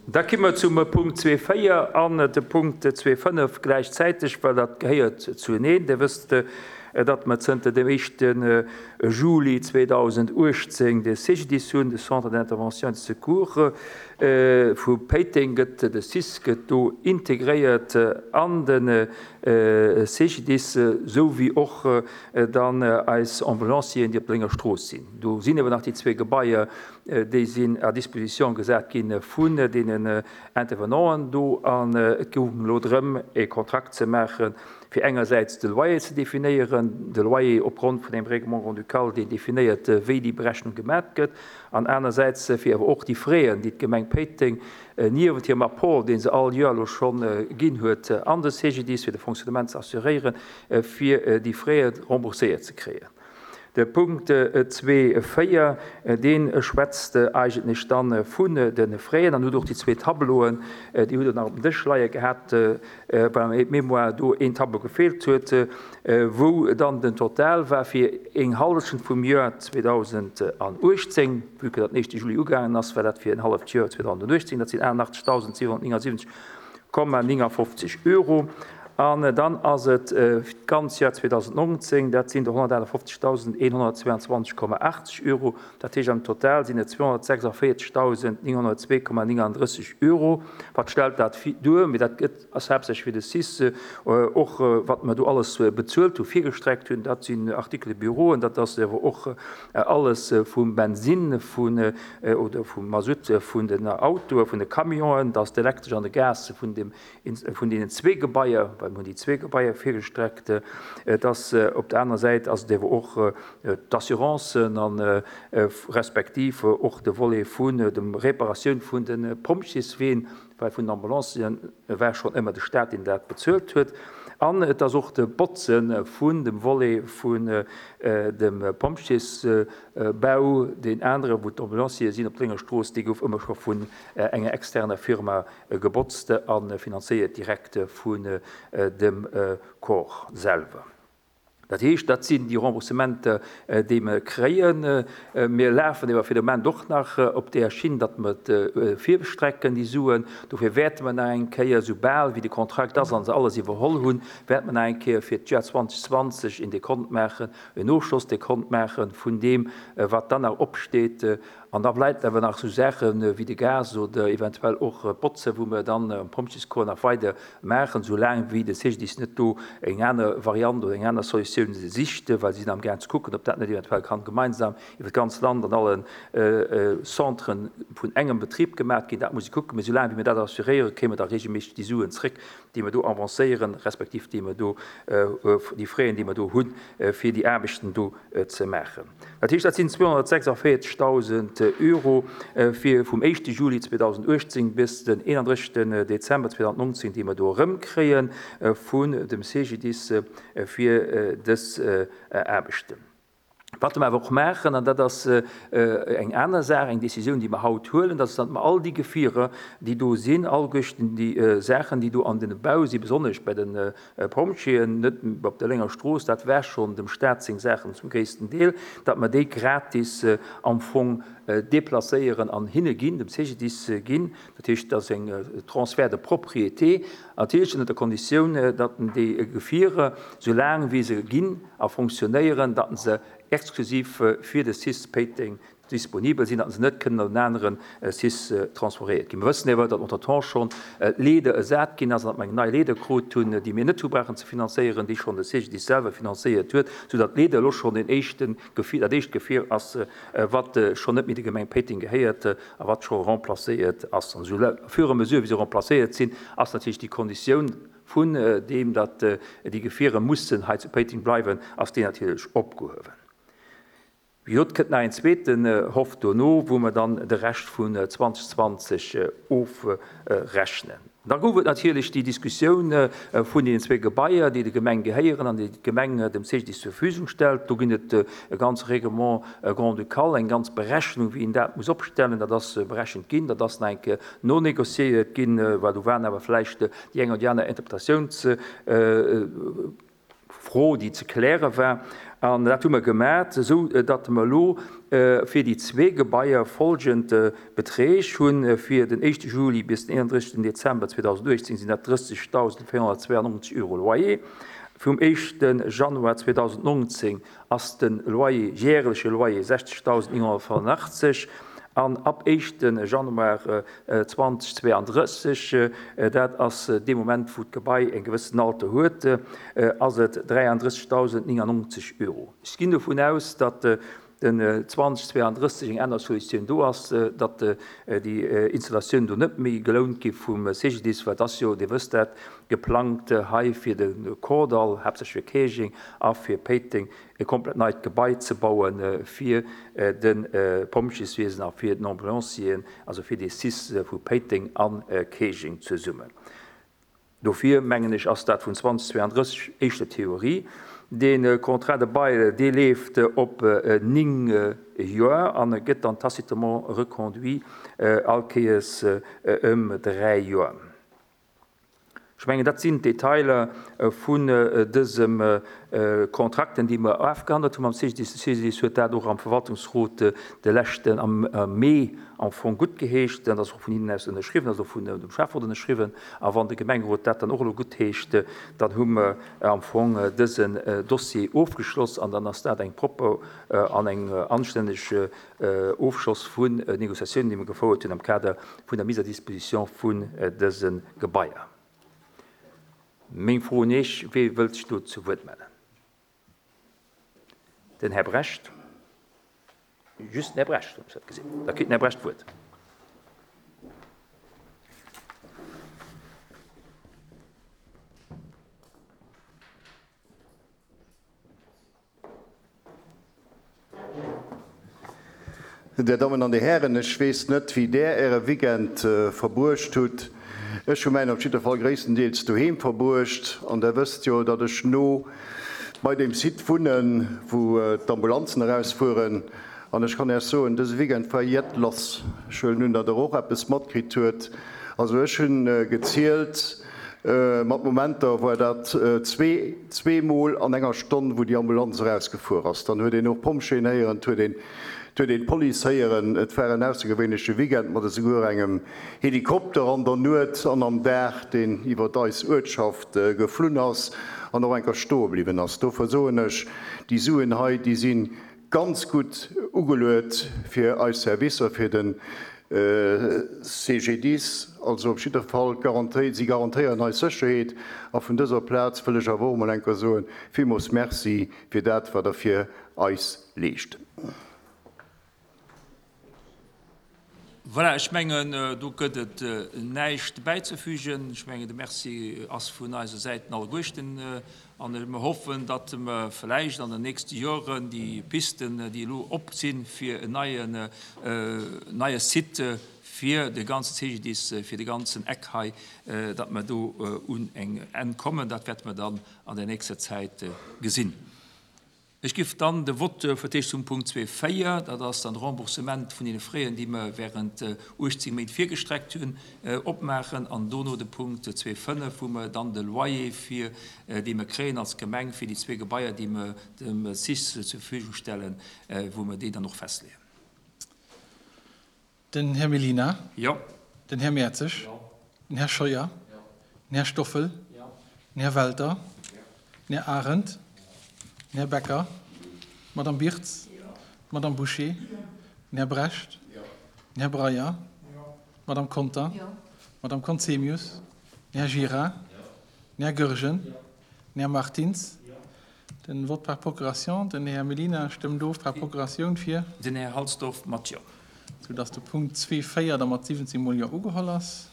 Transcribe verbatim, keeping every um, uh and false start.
Da komme mer zum Punkt zwee véier an de Punkt zwee fënnef gläichzäiteg, well dat gehéiert zueneen. Dir wësst, datt mer zënter dem éischte Juli zweedausenduechtzéng de C G I S hunn, de Centre d'intervention et de secours vu Péiteng gëtt, de C I S gëtt do integréiert an de C G I S, esou wéi och dann eis Ambulancieren, déi op der Lénger Strooss sinn. Do sinn awer nach déi zwee Gebaier, déi sinn à disposition gesat gi vun deenen Intervenanten do, an et goung elo drëm, e Kontrakt ze maachen, fir engersäits de Loyer ze definéieren, de Loyer opgrond vun engem Règlement grand-ducal, deen definéiert, wéi déi Berechnung gemat gëtt, an anersäits fir awer och déi Fräen, déi d'Gemeng Péiteng niewent hirem Apport, dee se all Joer elo schonn ginn huet an de C G I S, fir de Fonctionnement ze assuréieren, fir déi Fräe rembourséiert ze kréien. De Punkt zwee véier, dee schwätzt eigentlech dann vun de Fräen an huet och déi zwee Tableauen, déi hutt Der nach op dem Dësch leie gehat, beim Aide-mémoire do een Tableau gefeelt huet, wou dann den Total war fir eng Hallschent vum Joer zweedausenduechtzéng, vue que dat den éischte Juli ugaangen ass, war dat fir en halleft Joer zweedausenduechtzéng, dat sinn achtundachtzegdausendsiwenhunnertnéngundsiwwenzeg Komma néngundfofzeg Euro. An dann ass et d'ganz Joer zweedausendnonzéng, dat sinn der honnertachtundfofzegdausendeenhunnertzweiundzwanzeg Komma achtzeg Euro. Dat heescht, am Total sinn et zweehonnertsechsundvéierzegdausendnénghunnertzwee Komma néngendrësseg Euro. Wat stellt dat duer? Mee dat gëtt ass haaptsächlech fir de C I S, och wat mer do alles bezuelt hu virgestreckt hunn, dat sinn Articles de bureau, dat ass awer och alles vum Bensinn vun oder vum Masutt vun den Autoe, vun de Camionen, dat ass d'Elektresch an de Gas vun dem vun deenen zwee Gebaier, well mir hunn déi zwee Gebaier virgestreckt. Et ass op der anerer Säit ass et awer och d'Assurancen an respektiv och de Volet vun dem Reparatioun vun de Pompjeesween, well vun den Ambulancen war schonn ëmmer de Staat, deen dat bezuelt huet. An et ass och de Botze vun dem Volet vun dem Pompjeesbau, deen anere wou d'Ambulanciere sinn op der Lénger Strooss, dee gouf ëmmer scho vun enger externer Firma gebotzt a finanzéiert direkt vun dem Corps selwer. Dat heescht, dat sinn déi Remboursementer, déi mer kréien. Mir lafen awer fir de Moment och nach op där Schinn, datt mer et virstrecken, déi Suen. Dofir wäerte mer nach eng Kéier, soubal wéi de Kontrakt ass a se alles iwwerholl hunn, wäerte mer nach eng Kéier fir d'Joer zweedausendzwanzeg een Dekont maachen, en Ofschlossdekont maache vun deem, wat dann nach opsteet. An da bleift awer nach esou Saache wéi de Gas oder eventuell och d'Botze, wou mer dann am Pompjeescorps nach weider maachen, soulaang wéi de C G D I S net do eng aner Variant oder eng aner Solutioun sicht, well si sinn amgaang ze kucken, ob dat net eventuell kann gemeinsam iwwer d'ganz Land an alle Centren vun engem Betrib gemaach ginn. Dat muss ee kucken. Mee soulaang wéi mir dat assuréieren, kréie mer da regelméisseg déi Suen zréck, déi mer do avancéieren, respektiv déi mer do, déi Fräen, déi mer do hunn, fir déi Aarbechten do ze maachen. Dat heescht, dat sinn zweehonnertsechsundvéierzegdausend Euro fir vum éischte Juli zweedausenduechtzéng bis den eenandrëssegsten Dezember zweedausendnonzéng, déi mer do erëmkréie vun dem C G D I S fir dës Aarbechten. Wat mer awer och maachen, an dat ass eng aner Saach, eng Décisioun, déi mer haut huelen, dat ass, datt mer all déi Gefierer, déi do sinn, alleguerten déi Saachen, déi do an den Bau sinn, besonnesch bei de Pompjeeën, net op der Lénger Strooss, dat war schonn dem Staat seng Saachen zum gréissten Deel, datt mer déi gratis am Fong deplacéieren an hinne ginn, dem C G D I S ginn. Dat heescht, dat ass eng Transfert de propriété, natierlech ënner der Konditioun, datt déi Gefierer, soulaang wéi se ginn a fonctionnéieren, datt se exklusiv fir de C I S Péiteng disponibel sinn, datt se net kënnen an en anere C I S transferéiert ginn. Mir wëssen awer, datt entretemps schonn d'Leeder ersat ginn ass an datt mer eng nei Leeder krut hunn, déi mir net hu brauchen ze finanzéieren, déi schonn de C G D I S selwer finanzéiert huet, soudatt d'Leeder elo schonn den éischte Gefier, dat éischt Gefier ass, wat schonn net méi der Gemeng Péiteng gehéiert a wat scho remplacéiert ass. An esou au fur et à mesure, wéi se remplacéiert sinn, ass natierlech déi Konditioun vun deem, datt déi Gefiere mussen hei zu Péiteng bleiwen, ass déi natierlech opgehuewen. Wéi gesot, kënnt nach een zweeten Hoff dono, wou mer dann de Rescht vun zweedausendzwanzeg ofrechnen. Da gouf et natierlech déi Diskussioun vun deenen zwee Gebaier, déi der Gemeng gehéieren an déi d'Gemeng dem C G D I S zur Verfügung stellt. Do ginn et e ganze Règlement grand-ducal, eng ganz Berechnung, wéi een dat muss opstellen. Dat ass berechent ginn, dat ass nach eng Kéier nonegociéiert ginn, well do waren awer vläicht déi eng oder déi aner Interpretatiouns Fro, déi ze kläre war. An dat hu mer gemat, esou datt mer elo fir déi zwee Gebaier folgend Beträg hunn. Fir den éischte Juli bis den eenandrëssegsten Dezember zweedausenduechtzéng sinn dat drëssegdausendvéierhonnertzweianonzeg Euro Loyer. Vum éischte Januar zweedausendnonzéng ass de Loyer, järeleche Loyer sechzegdausendnénghonnertfënnefenachtzeg an ab éischte Januar zweitausendzweiunddrësseg, dat ass dee Moment, wou d'Gebai e gewëssen Alter huet, ass et dräianddrëssegdausendnéngannonzeg Euro. Ech ginn dovun aus, datt den zweitausendzweiunddrësseg eng aner Solutioun do ass, datt déi Installatioun do net méi gelount gi vum C G D I S, well et ass jo, Dir wësst dat, geplangt hei fir de Kordall, haaptsächlech fir Käerjeng a fir Péiteng, e komplett neit Gebai ze bauen fir de Pompjeeswiesen a fir den Ambulancieren, also fir dee C I S vu Péiteng a Käerjeng zesummen. Dofir, mengen ech, ass dat vun zweitausendzweiunddrësseg éischter Theorie. De Contrat de bail, dee leeft op néng Joer an gëtt dann tacitement reconduit all Kéiers ëm dräi Joer. Ech mengen, dat sinn d'Detailer vun dësem Kontrakten, déi mer afgehandelt hunn mam C G D I S. De C G D I S huet dat och am Verwaltungsrot de leschten am Mee am Fong gutt geheescht. Dat ass och vun hinnen aus ënnerschriwwen, ass och vun dem Schäfferot ënnerschriwwen. A wann de Gemengerot dat dann och elo gutt heescht, dann hu mer am Fong dësen Dossier ofgeschloss an dann ass dat eng propper an eng anstänneg Ofschloss vun Negociatiounen, déi mer gefouert hunn am Kader vun der Mise à disposition vun dëse Gebaier. Meng Fro un Iech, wie wëllt sech do zu Wuert mellen? Den Här Brecht. Just den Här Brecht, hunn ech dat gesinn. Da kritt den Här Brecht d'Wuert. Dir Dammen an Dir Hären, ech weess net, wéi Der Äre Weekend verbruecht hutt. Ech hu mäin op jidder Fall gréisstendeels doheem verbruecht. An Der wësst jo, datt ech no bei deem Site wunnen, wou d'Ambulanzen erausfueren. An ech kann Iech soen, dëse Weekend war jett lass. Ech huelen un, datt Der och eppes matkritt huet. Also ech hunn gezielt, mat Momenter war dat zwee, zweemol an enger Stonn, wou déi Ambulanz erausgefuer ass. Dann huet een och Pompjeeën héieren, et huet een, et huet een d'Police héieren. Et war en aussergewéinleche Weekend mat esouguer engem Helikopter an der Nuet an am Dag, deen iwwer eis Uertschaft geflunn ass an och enker stoe bliwwen ass. Dofir soen ech, déi Suen hei, déi si ganz gutt ugeluet fir eis Servicer, fir de C G D I S, also op jidder Fall garantéiert, si garantéieren eis Sécherheet. A vun dëser Plaz wëll ech awer och emol enker soen, villmools Merci fir dat, wat Der fir eis leescht. Voilà, ech mengen, do gëtt et näischt bäizefügen. Ech mengen, de Merci ass vun eiser Säiten alleguerten. An mir hoffen, datt mer vläicht an den nächste Joren déi Pisten, déi elo op sinn, fir en neien, neie Site fir de ganzen C G D I S, fir de ganzen Eck hei, datt mer do un eng Enn kommen. Dat wäerte mer dann an der nächster Zäit gesinn. Ech gif dann de Vote fir d'éischt zum Punkt zwee véier, dat ass dann de Remboursement vun den Frais, déi mer während uechtzéng Méint virgestreckt hunn, opmaachen, an dono de Punkt zwee fënnef, wou mer dann de Loyer fir, dee mer kréien als Gemeng fir déi zwee Gebaier, déi mer dem C I S zur Verfügung stellen, wou mer déi dann och festleeën. Den Här Mellina. Jo. Den Här Mertzig. Jo. Den Här Scheuer. Jo. Den Här Stoffel. Jo. Den Här Welter. Jo. Den Här Arendt. Den Här Becker. Madame Birtz. Jo. Madame Boucher. Jo. Den Här Brecht. Jo. Den Här Breyer. Jo. Madame Conter. Jo. Madame Conzemius. Den Här Gira. Jo. Den Här Goergen. Jo. Den Här Martins. Jo. Den Vote par procuration. Den Här Mellina stëmmt of par Procuratioun fir. Den Här Halsdorf mat Jo. Soudass de Punkt zwee véier da mat siwwenzéng Mol Jo ugeholl ass.